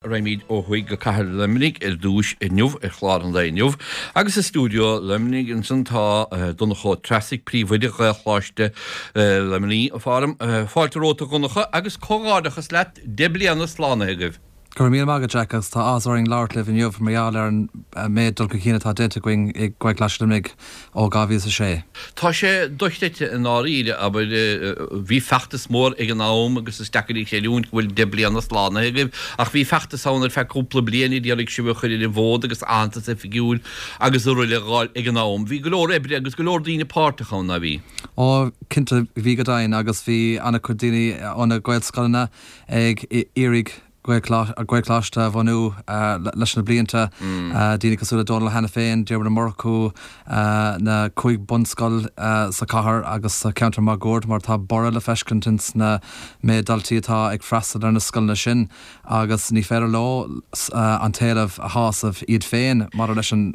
Raghaimid ó thuaidh go Cathair Luimnigh ar dtúis inniu ar chlár an lae inniu agus i stiúideo Luimnigh ansan tá Donncha Ó Treasaigh, Príomhoide Ghaelcholáiste Luimnigh. Fáilte romhat a Dhonncha agus comhghairdeachas leat, 10 bliana slánaithe agaibh. Go raibh míle maith agat Jack agus tá áthas orainn labhairt libh inniu mar gheall ar an méid dul chun cinn atá déanta againn i Gaelcholáiste Luimnigh ó 2006. Tá sé dochreidte i ndáiríre, abair, bhí feachtas mór ag an am agus is deacair a chreidiúint go bhfuil 10 bliana slánaithe agaibh ach bhí feachtas ann ar feadh cúpla bliain a d'iarraidh sibh a chur ar an bhfód agus aitheantas oifigiúil agus araile a dh'fháil ag an am. Bhí go leor oibre agus go leor daoine páirteach ann, ná bhí? Ó, cinnte, bhí go deimhin agus bhí an-chuid daoine ó na Gaelscoileanna ag iarraidh Gaelcholáiste a bhunú leis na blianta, daoine cosúil le Dónal Hanafin, Diarmuid Ó Murchú, na cúig bunscoil sa chathair agus sa cheantar máguaird mar tá borradh le feiscint ins na méid daltaí atá ag freastal ar na scoileanna sin agus ní féidir leo an t-éileamh a shásamh iad féin maidir leis an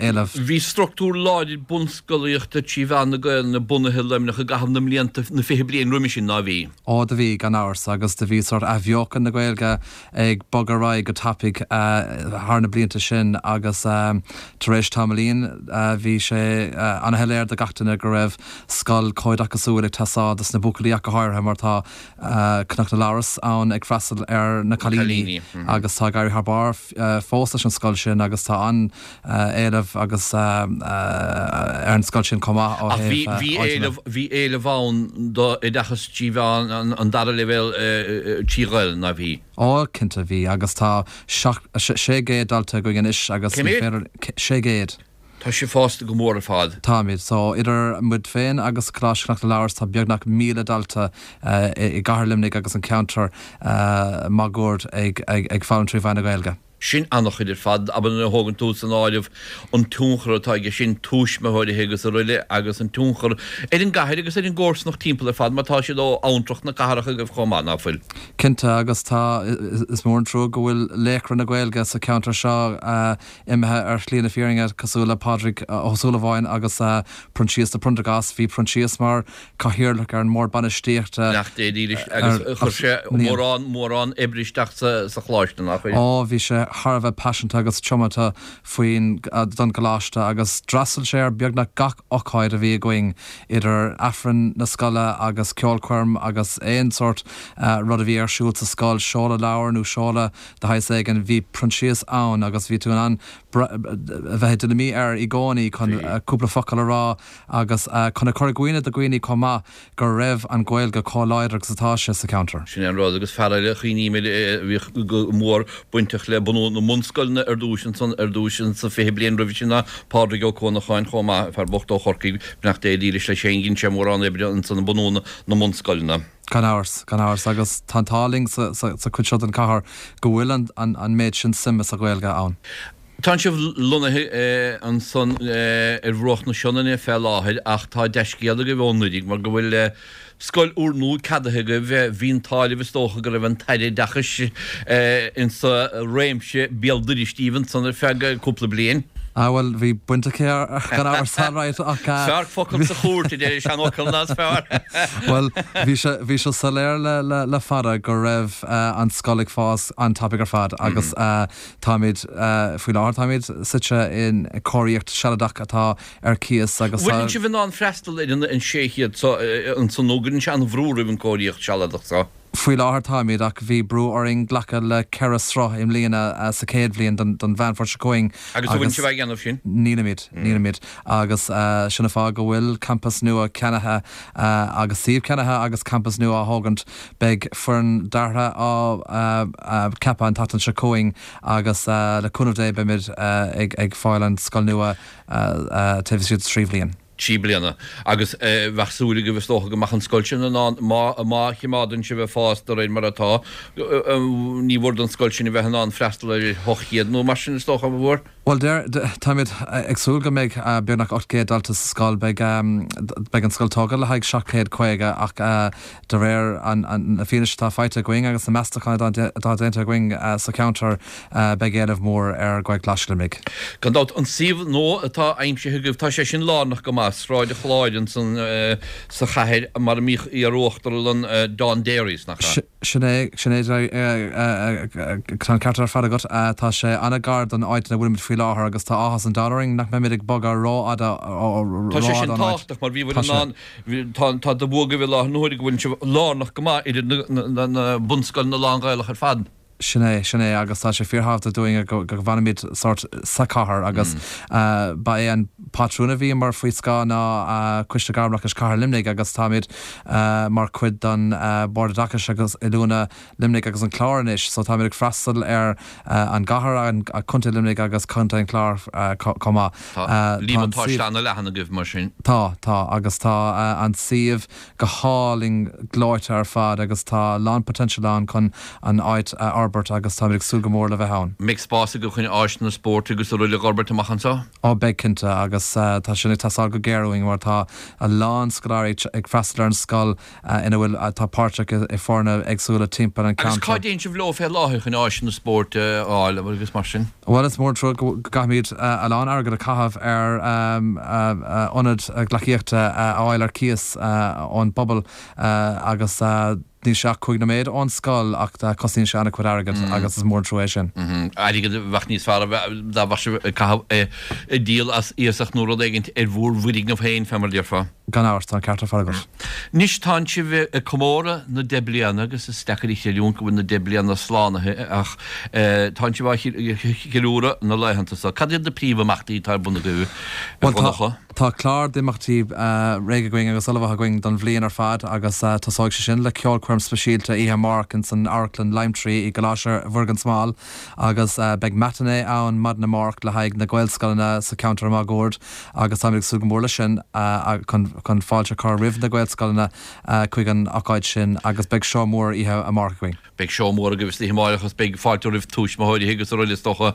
éileamh. Bhí structúr láidir bunscolaíochta trí mheán na Gaelainne bunaithe i Luimneach i gcaitheamh na mblianta, na 20 bliain roimhe sin, ná bhí? Ó do bhí, gan amhras, agus do bhí sórt athbheochan na Gaeilge ag bogadh ar aghaidh go tapaidh thar na blianta sin agus tar éis tamaillín bhí sé ana-shoiléir do gach duine go raibh scoil chomhoideachasúil ag teastáil dos na buachaillí ach go háirithe mar tá Cnoc na Labhras ann ag freastal ar na cailíní agus tá ag éirí thar barr fós leis an scoil sin agus tá an éileamh agus ar an scoil sin chomh maith ó Ach bhí, thaobh bhí áiteanna. éileamh, bhí éileamh ann d'oideachas trí mheán an dara leibhéal trí Ghaelainn, ná bhí? Ó, cinnte bhí, agus tá 600 dalta againn anois agus Cé ní mhéad? féidir, 600. Tá sibh fásta go mór ar fad. Táimid. So, idir muid féin agus Coláiste Chnoc na Labhras tá beagnach 1,000 dalta i gcathair Luimnigh agus an ceantar máguaird ag ag foghlaim trí mheán na Gaeilge. Sin an-chuid ar fad, abair nuair a thógann tú san áireamh an tionchar atá aige sin, tuismitheoirí agus araile, agus an tionchar ar an gcathair agus ar an gcomharsanacht timpeall ar fad mar tá siad ó abhantrach na cathrach agaibh chomh maith, ná fuil? Cinnte, agus tá, is mór an trua go bhfuil laochra na Gaeilge sa cheantar seo imithe ar shlí na fírinne, cosúil le Pádraig Ó Súilleabháin agus Proinsias de Priondargás. Bhí Proinsias mar Cathaoirleach ar an mBord Bainistíochta. Beannacht Dé dílis agus chuir sé mórán, mórán oibre isteach sa choláiste, nár chuir? Ó, bhí sé thar a bheith paiseanta agus tiomanta faoin, don gcoláiste agus d'fhreastail sé ar beagnach gach ocáid a bhí againn, idir Aifreann na scoile agus ceolchoirm agus aon sórt rud a bhí ar siúl sa scoil, seoladh leabhar nó seoladh de shaghas éigin, bhí Proinsias ann agus bhí tú in ann a bheith i dtuilleamaí air i gcónaí chun cúpla focal a rá agus chun a chur i gcuimhne do dhaoine chomh maith go raibh an Ghaeilge chomh láidir agus atá sé sa cheantar. Sin é an rud, agus fear eile a chuimhním air a bhíodh go mór bainteach le bunú na mbunscoileanna ar dtúis ansan, ar dtúis insa 20 bliain roimhe sin ná Pádraig Ó Cuanacháin chomh maith, fear bocht ó Chorcaigh, beannacht Dé dhílis leis féin, dhein sé mórán oibre ansan i mbunú na mbunscoileanna. Gan amhras, gan amhras, agus tá an t-ádh linn sa chuid seo den chathair go bhfuil an méid sin suime sa Ghaeilge ann. Tánn sibh lonnaithe ansan ar bhruach na Sionainne fé láthair ach tá dea-scéal agaibh ó anuraidh mar go bhfuil scoil úrnua ceadaithe agaibh. Bhí an t-ádh libh is dócha go raibh an tAire Oideachais insa réimse béal dorais díbh ansan ar feadh cúpla bliain. Ah bhuel bhí baint aici gan amhras alright ach. Is fearr focal sa chúirt a deir an seanfhocal ná is fearr. Bhuel bhí sé bhí sé soiléir le le le fada go raibh an scoil ag fás an-tapaidh ar fad agus Táimid, faoi láthair táimid suite in cóiríocht sealadach atá ar cíos agus tá. Bhfuileann sibh in ann freastal ar an 600 so ansan nó gcuireann sé an-bhrú oraibh an cóiríocht sealadach so? Faoi láthair táimid ach bhí brú orainn glacadh le 4 sruth i mbliana sa chéad bhliain den Mheán Fómhair seo chugainn Agus an bhfuileann sibh á dhéanamh sin? Nílimid, nílimid agus sin an fáth go bhfuil campas nua ceannaithe agus suíomh ceannaithe agus campas nua á thógaint. Beidh foireann deartha á ceapadh an tseachtain seo chugainn agus le cúnamh Dé beimid ag fáil an scoil nua taobh istigh de thrí bhliain. 3 bliana. Agus bheadh súil agaibh is dócha go mbeadh an scoil sin in ann, má má chimeádann sibh ag fás de réir mar atá, ní mhór don scoil sin a bheith in ann freastal ar 800 nó mar sin is dócha, an mhór? Bhuel, deir, táimid ag súil go mbeidh beagnach 800 dalta sa scoil. Beidh, beidh an scoil tógtha le haghaidh 750 ach de réir na fianaise atá faighte againn agus na meastacháin atá déanta againn sa cheantar, beidh éileamh mór ar Ghaelcholáiste Luimnigh. Gan dabht, an suíomh nua atá aimsithe agaibh, tá sé sin lárnach go maith. Sráid an Chláir ansan sa chathair mar a mbíodh iar-uachtarlann Don Dairies, nach ea? Sin é, sin é, tá an ceart ar fad agat. Tá sé an-ghar don áit ina bhfuilimid faoi láthair agus tá áthas an domhain orainn nach mbeimid ag bogadh rófhada Tá sé sin tábhachtach mar bhíobhair in ann, tá de bhua agaibh i láthair na huaire go bhfuil sibh lárnach go maith idir na bunscoileanna lán-Ghaelach ar fad. Sin é, sin é, agus tá sé fíorthábhachtach dúinn go bhfanfaimid sórt sa chathair agus ba é an pátrún a bhíomar faoi scáth ná Coiste Gairmoideachais Chathair Luimnigh agus táimid mar chuid den Bord Oideachais agus Oiliúna Luimnigh agus an Clár anois so táimid ag freastal ar an gcathair, an Contae Luimnigh agus Contae an Chláir chomh maith. Tá líomatáiste ana-leathan agaibh mar sin. Tá, tá, agus tá an suíomh go hálainn gleoite ar fad agus tá a lán potential ann chun an áit a fhorbairt agus táimid ag súil go mór le bheith ann. Mbeidh spás agaibh chun áiseanna spóirt agus araile a fhorbairt amach anseo? Ó beidh cinnte agus tá sin ag teastáil go géar uainn mar tá a lán scoláirí ag freastal ar an scoil ina bhfuil atá páirteach i foirne éagsúla timpeall an Agus cá cheantair. dtéann sibh leo fé láthair chun áiseanna spóirt a fháil agus mar sin? Bhuel is mór an trua go gcaithfimid a lán airgead a chaitheamh ar ionad gleacaíochta a fháil ar cíos ón bpobal agus níl sé ach 5 nóiméad ón scoil ach cosnaíonn sé an-chuid airgid agus is mór an trua é sin. Airgead a bheadh níos fearr dá mbeadh sibh ag caitheamh ag díol as iasacht nó rud éigint ar bhúr bhfoirgneamh féin, fé mar a déarfá. Gan amhras, tá an ceart ar fad agat. Anois tánn sibh ag comóradh na deich bliana agus is deacair a chreidiúint go bhfuil na deich bliana slánaithe ach tánn sibh á cheiliúradh na laethanta seo. Cad iad na príomh-imeachtaí atá ar bun agaibh, a Bhuel, tá, Dhonncha? tá clár d'imeachtaí réidh againn agus ullmhaithe againn don bhliain ar fad agus tosóidh sé sin le ceolchoirm speisialta oíche amárach ins an Amharclann Lime Tree i gColáiste Mhuire gan Smál agus beidh matinee ann maidin amárach le haghaidh na Gaelscoileanna sa cheantar máguaird. agus táimid ag súil go mór leis sin chun fáilte a chur roimh na Gaelscoileanna chuig an ocáid sin agus beidh seó mór oíche amárach againn. Beidh seó mór agaibh istoíche amárach agus beidh fáilte roimh tuismitheoirí agus araile is dócha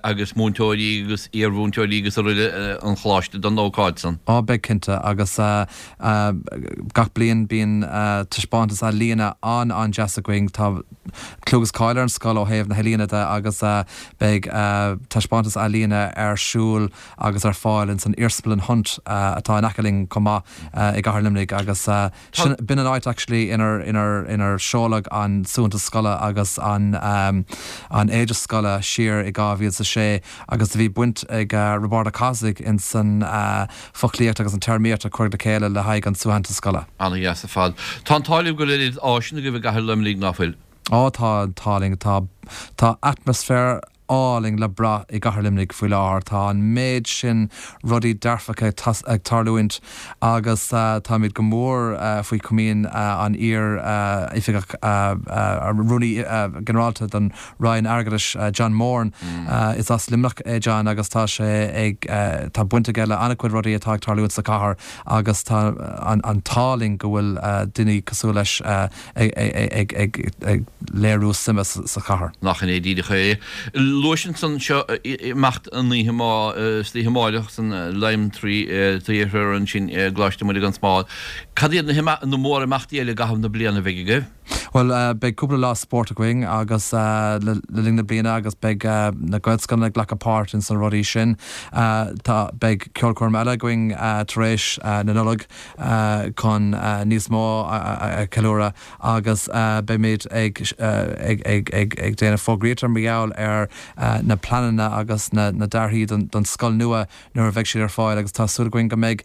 agus múinteoirí agus iarmhúinteoirí agus araile an choláiste don ócáid san. Á beidh cinnte agus gach bliain bíonn taispeántas ealaíne an-an-deas againn. Tá clú agus cáil ar an scoil ó thaobh na healaíona de agus beidh taispeántas ealaíne ar siúl agus ar fáil ins an Iarsmalann Hunt atá in aice linn chomh maith i gCathair Luimnigh agus sin, b'in an áit actually inar, inar, inar seoladh an suaitheantas scoile agus an, an éide scoile siar i 2006 agus do bhí baint ag Roibeárd Ó Cathasaigh ins an foclaíocht agus an téarmaíocht a cuireadh le chéile le haghaidh an tsuaitheantais scoile. Ana-dheas ar fad. Tá an t-ádh libh go bhfuil oiread áiseanna agaibh i gCathair Luimnigh, ná fuil? Á tá an t-ádh linn. Tá, tá atmaisféar álainn le brath i gCathair Luimnigh faoi láthair. Tá an méid sin rudaí dearfacha ag tarlúint agus táimid go mór faoi chomaoin an iar-oifigeach, Rúnaí Ginearálta don Roinn Airgeadais, John Moran. Is as Luimneach é John agus tá sé ag, tá baint aige le an-chuid rudaí atá ag tarlúint sa chathair agus tá an t-ádh linn go bhfuil daoine cosúil leis ag léiriú suime sa chathair. Nach in é díreach é. Luais ansan seo imeacht an oíche istoíche amáireach san Lime Tree Theatre ansin i gColáiste Mhuire gan Smál. Cad iad na mór-imeachtaí eile i gcaitheamh na bliana a bheidh agaibh? Bhuel, beidh cúpla lá spóirt againn agus le linn na bliana agus beidh na Gaelscoileanna ag glacadh páirt ins na rudaí sin. Tá, beidh ceolchoirm eile againn tar éis na Nollag chun níos mó a cheiliúradh agus beimid ag ag ag ag ag déanamh fógraíochta mar gheall ar na pleananna agus na dearthaí don scoil nua nuair a bheidh siad ar fáil agus tá súil againn go mbeidh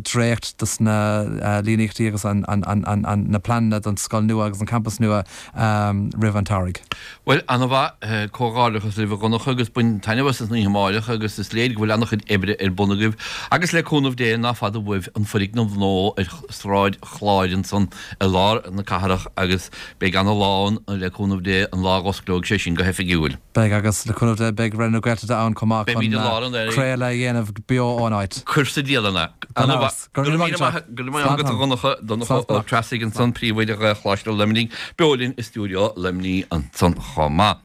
dréacht dos na líníochtaí agus na pleananna don scoil nua agus an campas nua roimh an tsamhraidh. Bhuel, ana-mhaith. Comhghairdeachas libh a Dhonncha agus bain taitneamh as an oíche amáireach agus is léir go bhfuil ana-chuid oibre ar bun agaibh agus le cúnamh Dé ná fada uaibh an foirgneamh nua ar Sráid Chláir ansan i lár na cathrach agus beidh ana-lá ann le cúnamh Dé an lá a dh'osclóidh sé sin go hoifigiúil. Beidh, agus le cúnamh Dé beidh Raidió na Gaeltachta ann chomh maith chun craoladh a dhéanamh beo ón áit. Cuir sa dialann é. Gan amhras. Go raibh míle maith go raibh maith agat a Dhonncha, Donncha Ó Treasaigh ansan, Príomhoide Ghaelcholáiste Luimnigh, beo linn i stiúideo Luimnigh ansan chomh maith.